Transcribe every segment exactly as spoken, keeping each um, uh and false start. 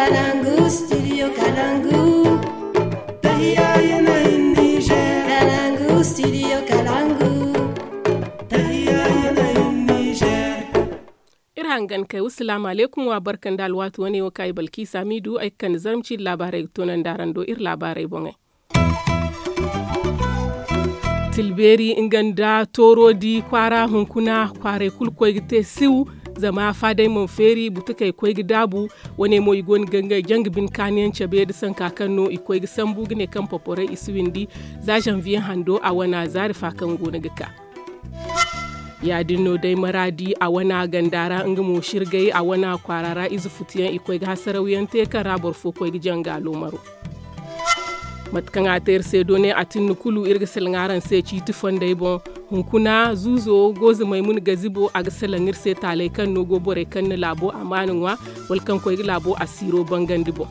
Kalangu studio kalangu. Tahiya yanayin niger. Kalangu studio kalangu. Tahiya yanayin niger. Iri hangan kay wasalaamu aleykum wa barka nda alwaati wane wo kaŋ ay balkiisa miidu ay ga kande zarma ciiri laabaarey ga toonandi araŋ do iri laabaarey boŋey. Tilbeeri nga nda tooroodi kwaara hunkuna kwaaray kulu koy ga te siw. Zama faadey mana feeri butukey koy ga daabu. Wane mo i go no ga ngey janga bine kaaniyaŋ cabe nda sanka kaŋ no i koy ga sambu ga ne kaŋ poporey i si windi. Za zanviye hando a wana zaari fa kaŋ go no ga ka. Ya- din no day maraadi a wana ganda ra nga mo shirgay a wana kwaara ra ize futuyaŋ i koy ga hasarawyaŋ te kaŋ ra boro fo koy ga janga loomaro. Mate kaŋ a te iri se doone a tinni kulu iri ga salaŋ araŋ se ciiti fondey boŋ. Hunkuna zuuzo goozamey muna gazibo a ga salaŋ iri se taaley kaŋ no go borey kaŋ na laabo amaana ŋwa wala kaŋ koy ga laabo asiiro bangandi boŋ.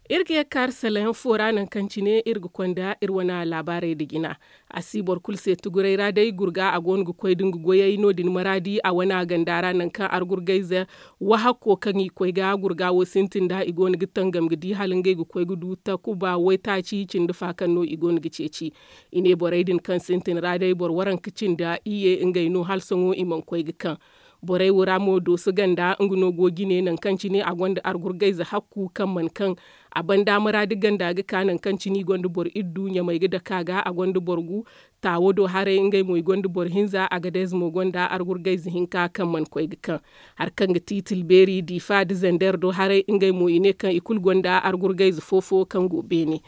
Iri ga ye ga kaari salaŋ yaŋ fo ra nangu kaŋ cine iri ga konda iri wane laabaarey nda jina. A si boro kulu se tuguray ra day gurga a go no ga koy da nga goyey no- din maraadi a wane ganda ra nangu kaŋ argurgayze wahakko kaŋ i koy ga gurga wo sintin nd'a i go no ga tangam ga di hala ngey ga koy ga du takuba waytaaci cindi fa kaŋ no i go no ga ceeci. I ne borey din kaŋ sintin ra day boro waranka cindi iyye ngey no hala sohõ i mana koy ga kaŋ. Borey wo ra mo dooso ganda nga no go jine nangu kaŋ cine a gonda argurgayze hakku kaŋ mana kaŋ. A banda maraadi ganda ga ka nangu kaŋ cine i gonda boro iddu ɲamey ga dake a ga a gonda boro gu. Taawo do haray ngey mo i gonda boro hinza agadez mo gonda argurgayze hinka kaŋ mana koy ga kaŋ. Hari kaŋ ga ti tilbeeri diifa nda zander do haray ngey mo i ne kaŋ i kulu gonda argurgayze fo-fo kaŋ go beene.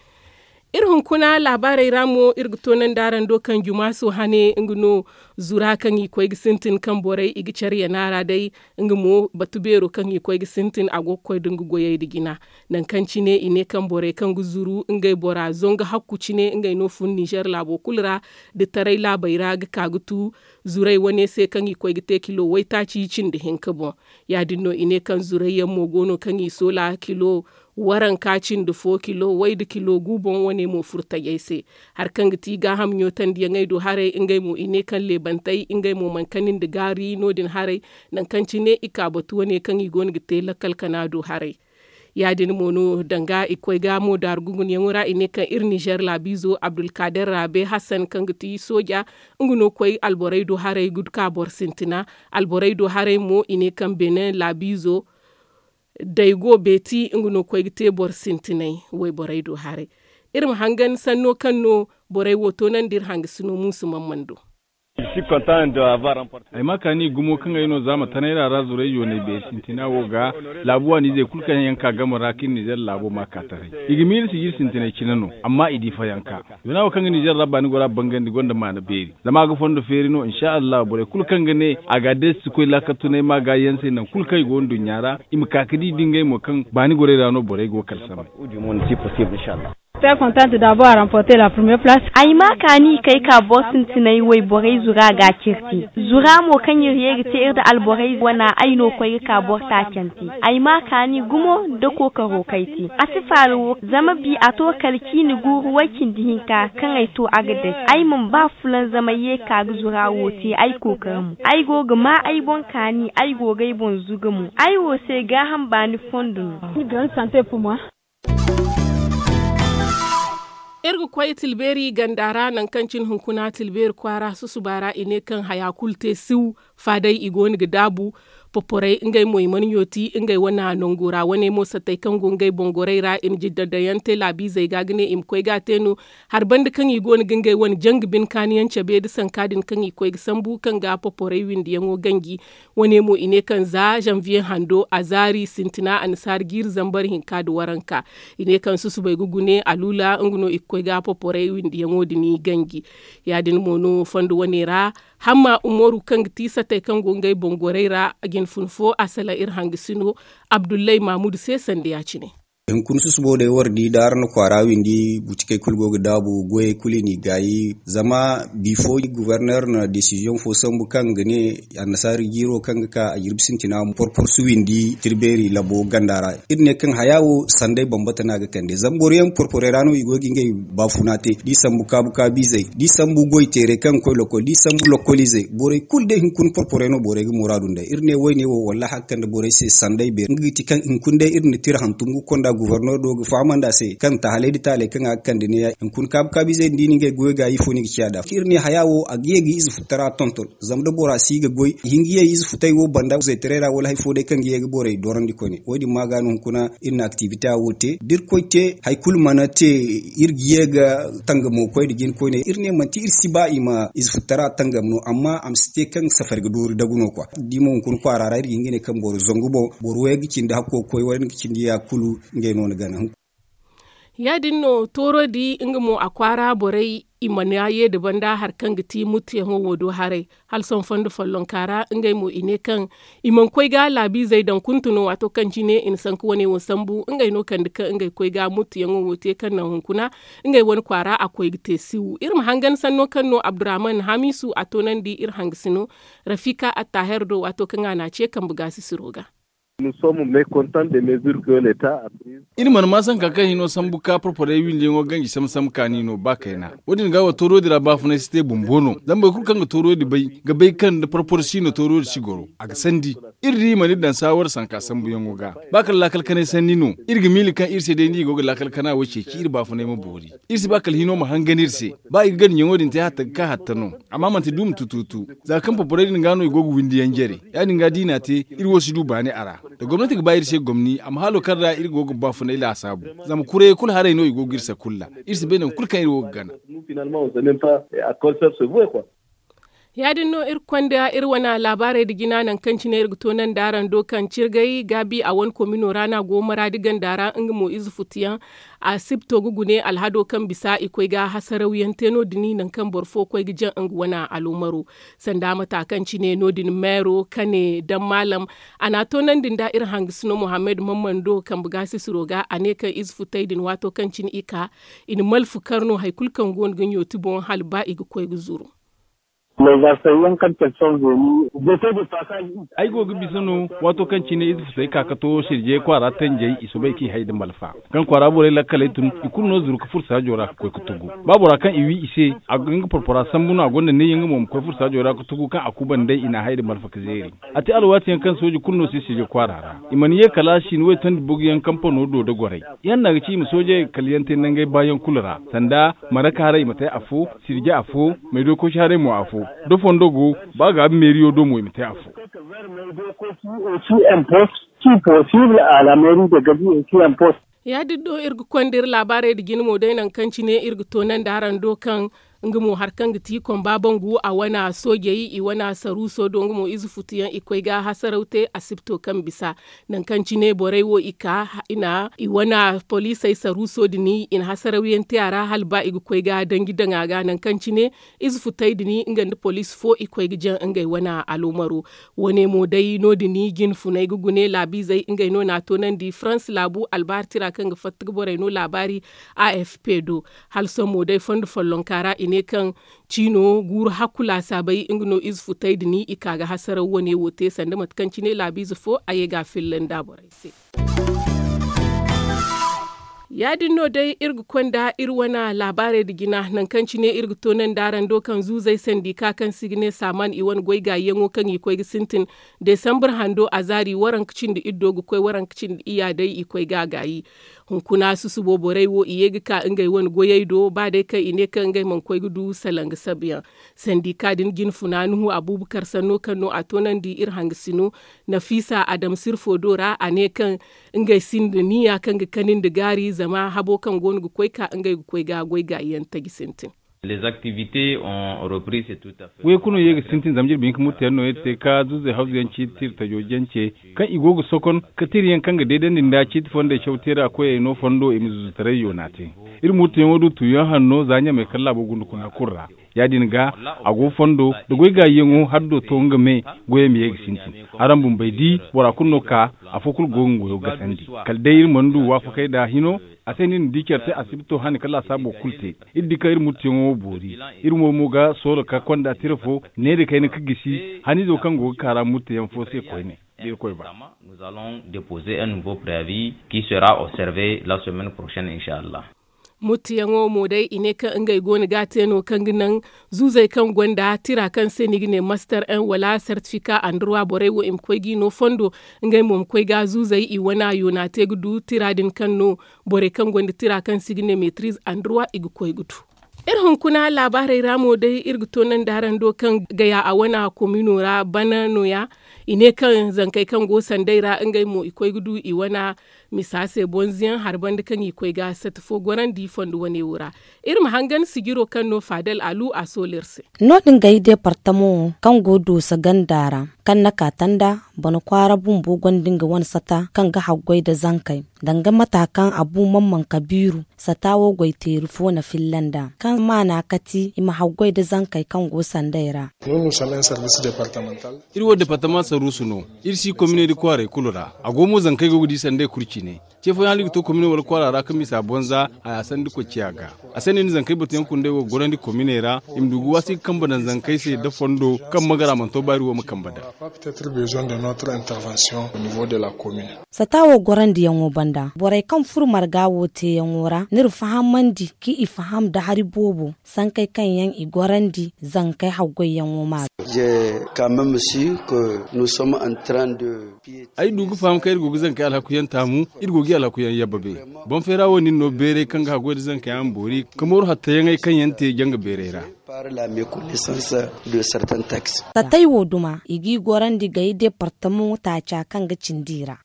Iri hunkuna laabaarey ra mo iri ga toonandi araŋ do kaŋ jumaaso hane nga no zura kaŋ i koy ga sintin kaŋ borey i ga care yana ra day. Nga mo batu beero kaŋ i koy ga sintin a go ga koy da nga goyey nda jina. Nangu kaŋ cine i ne kaŋ borey kaŋ ga zuru ngey bora zongu hakku cine ngey no fun nizer laabo kulu ra. Da taray laabey ra ga ka ga tu zurey wane se kaŋ i koy ga te kilo waytaaci cindi hinka boŋ. Ya- din no i ne kaŋ zurey yaŋ mo go no kaŋ i soola kilo waranka cindi fo kilo way nda kilo gu boŋ wane mo furo tajey se. Hari kaŋ ga ti gaaham ɲootandiyaŋey do haray ngey mo i ne kaŋ leebantey ngey mo mana kani nda gaari no- din haray. Nangu kaŋ cine i ka batu wane kaŋ i go no ga te lakkal kana do haray. Ya- din mo no danga i koy ga mo daaru gungunyaŋo ra i ne kaŋ iri nizer laabiizo abdulkaader raabe hasan kaŋ ga ti sooja. Nga no koy alborey do haray ga ka boro sintina. Alborey do haray mo i ne kaŋ benin laabiizo daygo beeti nga no koy ga te boro sintinay wayborey do haray. Iri ma hangan sanno kaŋ no borey wo toonandi iri hangasino muusu mamman do. Ay ma kaani gumo kaŋ ay no zaama tanay ra ra zurey yoonay beeri sintina wo ga laabu waaniizey kulu kaŋ yaŋ ka game ra kaŋ iri nizer laabo ma ka taray. I ga miila sijiri sintinay cine no amma i di fayanka. Yoona wo kaŋ ga nizer ra baani gora bangandi gonda maana beeri zama a ga fondo feeri no insa allahu borey kulu kaŋ ga ne a ga a deesi si koy laakal tunay ma ga yaŋ se nangu kulu kaŋ i go nduɲɲa ra. I ma ka ga di da ngey mo kaŋ baani gorey ra no borey go ga kala samay. Ay ma kaani kay ka boro sintinay wayborey zura ga a cire te zura mo kaŋ iri ye ga te iri nda alborey wana ay no koy ga ka boro taacante. Ay ma kaani gumo nda kookaro kay te a si faala wo zama bi a to kala ciini guuru way cindi hinka kaŋ ay to a ga day. Ay mana ba fulanzamay ye ka ga zura wo te ay kookara mo ay go ga ma ay boŋ kaani ay go ga ay boŋ zuga mo ay wo se gaaham baani fondo no. Iri ga koy tilbeeri ganda ra nangu kaŋ cine hunkuna tilbeeri kwaara susuba ra i ne kaŋ haya kulu te siw. Faadey i go no ga daabu poporey ngey mo i mana ɲooti ngey wane nango ra wane mo sattey kaŋ go ngey boŋ gorey ra i na jidda daŋ yaŋ te laabiizey ga ga ne i ma koy ga a te no. Hari banda kaŋ i go no ga ngey wane janga bine kaani yaŋ cabe nda sanka din kaŋ i koy ga sambu kaŋ ga poporey windiyaŋo ganji. Wane mo i ne kaŋ za zanviye hando a zaari sintina annasaara jiiri zambar hinka nda waranka. I ne kaŋ susubay ga gune aluula nga no i ga koy ga poporey windiyaŋo din ganji. Ya- din mo no fondo wane ra hamma umaru kaŋ ga ti satey kaŋ go ngey boŋ gorey ra jine fun fo a salaŋ iri hangasino abdullay mamudu se sanda ya- cine. Hunkuna susubo day war di da araŋ na kwaara windi butikey kulu go ga daabu goyey kulu i n'i gaayi. Zama bifo guverner na desiziyoŋ fo sambu kaŋ ga ne annasaari jiiro kaŋ ga ka a jirbi sintina porporsu windi tirbeeri labo ganda ra. Iri ne kaŋ haya wo sanday bambata no a ga kande zama boro yaŋ porporey ra no i go ga ngey baafuna te da i sambu kaabu kaabu izey da i sambu goy teerey kaŋ ga koy lokol da i sambu lokol izey borey kulu day hunkuna porporey no borey ga muraadu nd'ey iri ne wayne wo wallaahi a ga kande borey se sanday beeri nga ga ti kaŋ hunkuna day iri na tira hantum ga konda guverner do ga fahamandi a se kaŋ tahalay nda taalay kaŋ a ga kande neeya hunkuna kaabu kaabu izey din da i na ngey goyo gaayi ifo no i ga ciya nd'a iri ne haya wo a ga ye ga ize futtara tonton. Zama da bora si ga goy i hin ga ye ize futay wo banda zaytaray ra wala hari fo day kaŋ ga ye ga borey dorandi koyne wo- din ma ga no hunkuna iri na activité wo te da iri koy te hari kulu mana te. Iri ga ye ga tangamo koy nda jina koyne iri ne manti iri si ba i ma ize futtara tangam no amma a ma si te kaŋ safari ga doori dagu no kwa da i ma hunkuna kwaara ra iri ga hin ga ne kaŋ boro zangu boŋ boro way ga cindi hakko ga koy wala nga cindi ya kulu ngey no ni gana. Ya- din no tooro di nga mo a kwaara borey i mana ye nda banda hari kaŋ ga ti muttuyaŋo wo do haray hala sohõ fondo follonka ra ngey mo i ne kaŋ i mana koy ga laabiizey daŋ kuntu no waato kaŋ cine i na sanku wane wo sambu ngey no kande kaŋ ngey koy ga muttuyaŋo wo te kaŋ naŋ hunkuna ngey wane kwaara a koy ga te siwu iri ma hangan sanno kaŋ no abdurrahman hamisu a toonandi iri hangasino rafika attaher do waato kaŋ a na a ce kambe gaasisiro ga. Iri mana maa sanka kaŋ hino sambu ka porporey windiyaŋo ganji sambu sambu kaani no ba kayna. Wo- din ga wo tooro din ra baafunay si te bumbo no zama boro kulu kaŋ ga tooro din bay ga bay kaŋ da porporo si no tooro din si goro a ga sandi. Iri di i mana iri daŋ saawar sanka sambuyaŋo ga ba kala laakal kanay sanni no. Iri ga miila kaŋ iri se day no i go ga laakal kana wo ceeci iri baafunay ma boori. Iri si ba kala hino ma hangan iri se ba i ga ganda ɲaŋo din te hatta ga ka hatta no. Amma manti duuma tutuutu za kaŋ porporey din ga no i go ga windiyaŋ jare. Ya- din ga da i n'a te iri wo si du baani a ra. Da gomnati ga ba iri se gomni a ma halo kaŋ ra iri go ga baafunay laasaabu. Zama kurayey kulu haray no i go ga iri sakulla. Iri si bay nangu kulu kaŋ iri wo ga gana. Ya- din no iri konda iri wane laabaarey nda jina nangu kaŋ cine iri ga toonandi araŋ do kaŋ cirgay gaabi a wane komino ra no a go maraadi ganda ra nga mo ize futuyaŋ. Asibto ga gune alhado kaŋ bisa i koy ga hasarawyaŋ te no- din nangu kaŋ boro fo koy ga jaŋ nga wane aloomaro. Sanda mata kaŋ cine no- din meero kane daŋ maalam a na a toonandi nda iri hangasino muhammad mammando kambe gaasisiro ga a ne kaŋ ize futey din waato kaŋ cine i ka i na malfa kar no hari kulu kaŋ go no ga ɲooti boŋ hala ba i ga koy ga zuru. Ay go ga bisa no waato kaŋ cine ize futey ka ga to sirjey kwaara tanjey i soobay kaŋ i hay nda malfa kaŋ kwaara borey lakkaley tun i kulu no zuru ga furo saajo ra ga koy ga tugu. Ba bora kaŋ i wi i se a ga nga porpora sambu no a gonda neeyaŋ nga mo ma koy furo saajo ra ga tugu kaŋ a kuuba nd'ey i n'a hay nda malfa ga zeeri. A te alwaati yaŋ kaŋ sooji kulu no si sirje kwaara ra. I mana ye kala sinwey tondi bugu yaŋ kampano do nda gorey. Ihanna ga ci i ma soojey kala yaŋ te nangey baayaŋ kulu ra sanda maraka haray i ma te afo, sirje afo, maydookosi haray mo afo. Da fondo go ba gaabi meeriyo do mo i ma te afo. Aussi impost qui possible à la mairie de gadi aussi impost. Ya- din no iri ga konda iri laabaarey nda jina mo day nangu kaŋ cine iri ga toonandi araŋ do kaŋ nga mo hari kaŋ ga ti komba bangu a wane soojey i wane saruuso do nga mo ize futuyaŋ i koy ga hasaraw te asibto kaŋ bisa. Nangu kaŋ cine borey wo i ka i na i wane poliisey saruuso din i na hasarawyaŋ te a ra hala ba i ga koy ga danji daŋ a ga nangu kaŋ cine ize futey din nga nda poliisi fo i koy ga jaŋ ngey wane aloomaro. Wo- ne mo day no- din jinfuney ga gune laabiizey ngey no na a toonandi farans laabu albahartira kaŋ ga fatta ga borey no laabaari. A f p do hala sohõ mo day fondo follonka ra i ne kaŋ ciino guuru hakku laasaabey nga no ize futey din i ka ga hasaraw wo- ne wo te sanda mate kaŋ cine laabiize fo a ye ga a filla nda borey se. Ya- din no day iri ga konda iri wane laabaarey nda jina nangu kaŋ cine iri ga toonandi araŋ do kaŋ zuuzey sandika kaŋ se i ga ne saaman i wane goy gaayiyaŋo kaŋ i koy ga sintin. Desambar hando a zaari waranka cindi iddo ga koy waranka cindi iyya day i koy ga a gaayi. Hunkuna susubo borey wo i ye ga ka ngey wane goyey do ba day kaŋ i ne kaŋ ngey mana koy ga du salaŋ ga sabuyaŋ. Sandika din jinfuna nuhu abuubakar sanno kaŋ no a toonandi iri hangasino nafiisa adama sirfo do ra a ne kaŋ ngey sinda niya kaŋ ga kani nda gaari zama habo kaŋ go no ga koy ka ngey ga koy ga goy gaayiyaŋ taji sintin. Les activités ont repris, c'est tout à fait. Waykuno ye ga sintin zama jirbi hinka muttu yaŋ no iri te ka zuzey hawzu yaŋ ciiti tira tajo jance, kaŋ i go ga sokon ka tira yaŋ kaŋ ga deedandi nda ciiti fondey caw teera koyey no fondo i ma zuzutaray yoona te. Iri muttu yaŋo du tuuyaŋ hanno za ɲamey kala laabo gundukuna kulu ra. Ya- din ga a go fondo da goy gaayiyaŋo haddo to nga me, goyey ma ye ga sintin. Araŋ bumbey di bora kulu no ka afo kulu go ga nga goyo gasandi. Kala day iri mana du waafakey da hino. A se no iri na di care te asibito hani ka laasaabo kulu te. Iri di kaŋ iri muttuyaŋo wo boori. Iri mo mo ga soola ka konda tira fo ne da kayna ka gisi haniizo kaŋ go ga kaara muttuyaŋ fo se koyne. Da irkoy ba. Nous allons déposer un nouveau préavis qui sera observé la semaine prochaine, inshallah. Muttuyaŋo mo day i ne kaŋ ngey go no ga a te no kaŋ ga naŋ zuuzey kaŋ gonda tira kaŋ se no i ga ne master un wala certificat andruwa borey wo i ma koy g'i no fondo. Ngey mo ma koy ga zuuzey i wana yoona te ga du tira din kaŋ no borey kaŋ gonda tira kaŋ se i ga ne metriz andruwa i ga koy ga du. Iri hunkuna laabaarey ra mo day iri ga toonandi araŋ do kaŋ gaya a wana komino ra bana nooya. I ne kaŋ zankey kaŋ go sandey ra ngey mo i koy ga du i wana misa se bonzo yaŋ hari banda kaŋ i koy ga sata fo gorandi fondo wane wo ra. Iri ma hangan sijiro kaŋ no faadal alu a soolo iri se. No- din gay deepartamo kaŋ go doosa ganda ra kaŋ na ka tanda bana kwaara bumbo gonda nga wane sata kaŋ ga haggoy nda zankey danga mata kaŋ a bu mamman kabiiru sata wo goy teeri fo na filla nd'a kaŋ maana kati i ma haggoy nda zankey kaŋ go sandey ra. Iri wo deepartama saruusu no. Iri si kominey nda kwaarey kulu ra. A go mo zankey go ga di sandey kulu cine. Ce fooyaŋ hala i ga to komine wala kwaara ra ka misa bonza haya sandi koy ciya ga. A se no iri na zankey batuyaŋ kundey wo gorandi kominey ra i ma du ga waasi ga kambe daŋ zankey se nda fondo kaŋ magara mana to ba iri wo ma kambe daŋ. Sata wo gorandiyaŋo banda borey kaŋ furo marga wo teeyaŋo ra n'iri fahamandi ka i faham nda hari boobo sankey kaŋ yaŋ i gorandi zankey haggoyyaŋo ma ga. Ay du ga faham kaŋ iri go ga zankey alhakuyaŋ taamu. Iri go ga i alhakuyaŋ yabba be. Boŋ feera wo nin no beeray kaŋ ga haggoy nda zankey a ma boori ka mooru hattayaŋey kaŋ yaŋ te janga beeray ra. Satay wo duma i g'i gorandi gay departamo taaca kaŋ ga cindi i ra.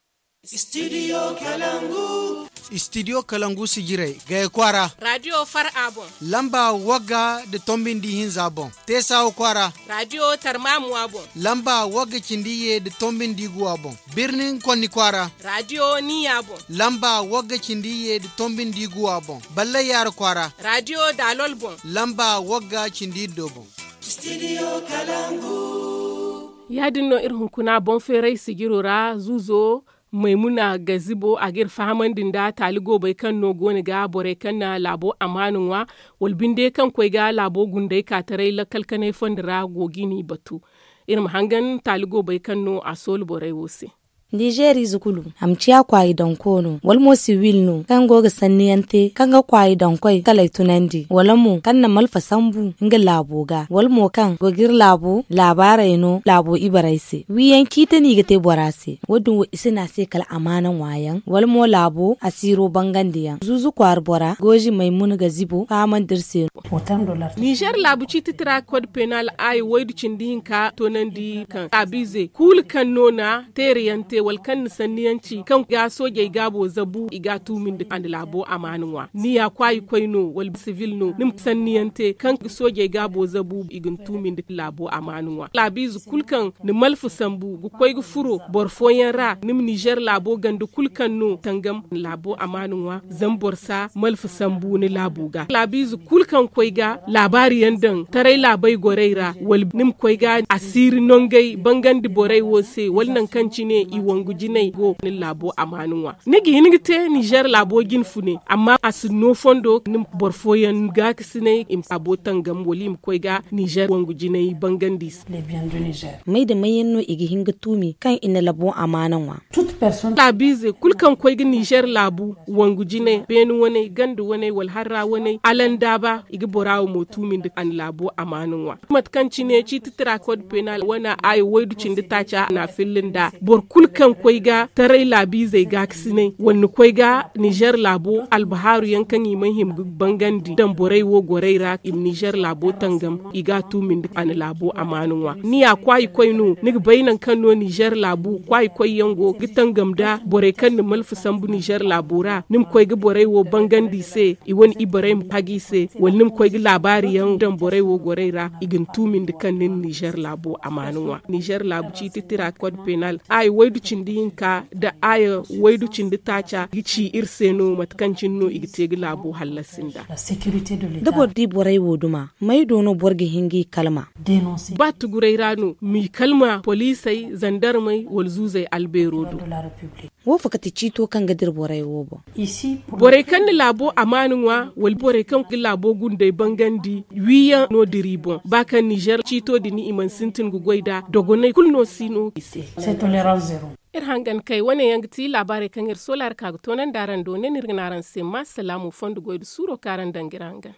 Istidiyo kalangu sijirey gaya kwaara. Radiyo far a boŋ. Lamba wagga nda tombi nda ihinza boŋ. Teesawa kwaara. Radiyo tarmamuwa boŋ. Lamba wagga cindi iyye nda tombi nda iguwa boŋ. Birnin konni kwaara. Radiyo niya boŋ. Lamba wagga cindi iyye nda tombi nda iguwa boŋ. Ballay yaara kwaara. Radiyo daalol boŋ. Lamba wagga cindi iddo boŋ. Ya- din no iri hunkuna boŋ feeray sijiro ra zuuzo maymuna gazibo a ga iri fahamandi nda taali goobey kaŋ no go no ga borey kaŋ na laabo amaana ŋwa wala binde kaŋ koy ga laabo gundey ka taray lakkal kanay fondo ra go ga i n'i batu. Iri ma hangan taali goobey kaŋ no a soolu borey wo se. Ninzeeriize kulu a ma ciya kwaayi daŋ koono wala mo siwil no kaŋ go ga sanniyaŋ te kaŋ ga kwaayi daŋ koy kalay tunandi wala mo kaŋ na malfa sambu nga laabo ga wala mo kaŋ go ga iri laabo laabaarey no laabo ibarey se wiiyaŋ ciiti no i ga te bora se. Wo- din wo i si ne a se kala amaana ŋwaayaŋ wala mo laabo asiiro bangandiyaŋ zuuzu kwaara bora goozi maymuna ga zibo fahamandi iri se no. Ninzeer laabu ciiti tira kod penal aayi waydu cindi hinka toonandi kaŋ laabiize kulu kaŋ no na teerayaŋ te wala kaŋ na sanniyaŋ ci kaŋ ga soojey gaabo zabu i ga a tuumindi a na laabo amaana ŋwa ni ya kwaayi koy no wala sibil no ni ma sanniyaŋ te kaŋ ga soojey gaabo zabu i ga ni tuumindi laabo amaana ŋwa laabiize kulu kaŋ na malfa sambu ga koy ga furo boro fooyaŋ ra ni ma ninzeer laabo ganda kulu kaŋ no tangam laabo amaana ŋwa zama boro si a malfa sambu ni laabo ga laabiize kulu kaŋ koy ga laabaari yaŋ daŋ taray laabey gorey ra wala ni ma koy ga asiiri nongey bangandi borey wo se wala nangu kaŋ cine i wangu jinay go ni laabo amaana ŋwa ni ga hin ga te ninzeer laabo jine fune amma a si no fondo ni ma boro fooyaŋ gaakasinay i ma laabo tangam wala i ma koy ga ninzeer wangu jinay bangandi i se. May da may yaŋ no i ga hin ga tuumi kaŋ i na labo amaana ŋwa? Laabiize kulu kaŋ koy ga ninzeer laabu wangu jinay beene waney ganda waney wala harra waney alandaaba i ga bora wo mo tuumindi a na laabo amaana ŋwa mate kaŋ cine ciiti tira kod penal wane aayo waydu cindi taaca na a filla nda boro kulu kaŋ koy ga taray laabiizey gaakasinay wala ni koy ga nizer laabo albahaaru yaŋ kaŋ i mana hima ga bangandi daŋ borey wo gorey ra i ma nizer laabo tangam i ga a tuumindi a na laabo amaana ŋwa ni ya kwaayi koy no ni ga bay nangu kaŋ no nizer laabu kwaayi koy yaŋ go ga tangam nda borey kaŋ na malfa sambu nizer laabo ra ni ma koy ga borey wo bangandi i se i wane ibarey ma hagi i se wala ni ma koy ga laabaari yaŋ daŋ borey wo gorey ra i ga ni tuumindi kaŋ ni na nizer laabo amaana ŋwa nizer laabu ciiti tira kod penal aya waydu cindi hinka nda aya waydu cindi taaca ga ci iri se no mate kaŋ cine no i ga te ga laabo hallasi nda. Da boro di borey wo duma may do no boro ga hin g'i kalma? Ba tuguray ra no m'i kalma poliisey zandarmey wala zuuzey albeero do. Wo fo kate ciito kaŋ ga dira borey wo boŋ? Borey kaŋ na laabo amaana ŋwa wala borey kaŋ ga laabo gundey bangandi wiiyaŋ no dira i boŋ ba kaŋ nizer ciito din i mana sintin ga goy nd'a dogonay kulu no si no i se. Iri hangan kay wane yaŋ ga ti laabaarey kaŋ iri soolaari ka ga toonandi araŋ do ne no iri ga ne araŋ se ma salaamu fondo goy nda suuro kaŋ araŋ daŋ ga iri hangan.